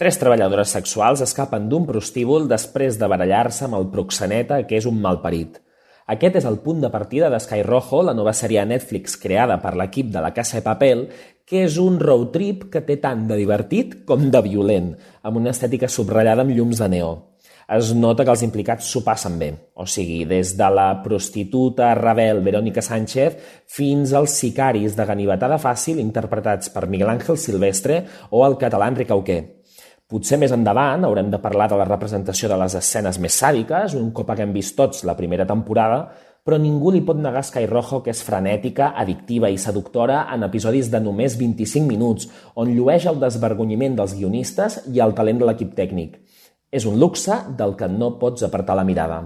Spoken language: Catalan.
Tres treballadores sexuals escapen d'un prostíbul després de barallar-se amb el proxeneta, que és un malparit. Aquest és el punt de partida de Sky Rojo, la nova sèrie a Netflix creada per l'equip de La Casa de Papel, que és un road trip que té tant de divertit com de violent, amb una estètica subratllada amb llums de neó. Es nota que els implicats s'ho passen bé, o sigui, des de la prostituta rebel Verónica Sánchez fins als sicaris de ganivetada fàcil interpretats per Miguel Ángel Silvestre o el català Enric Auqué. Potser més endavant haurem de parlar de la representació de les escenes més sàdiques, un cop haguem vist tots la primera temporada, però ningú li pot negar a Sky Rojo que és frenètica, addictiva i seductora en episodis de només 25 minuts, on llueix el desvergonyiment dels guionistes i el talent de l'equip tècnic. És un luxe del que no pots apartar la mirada.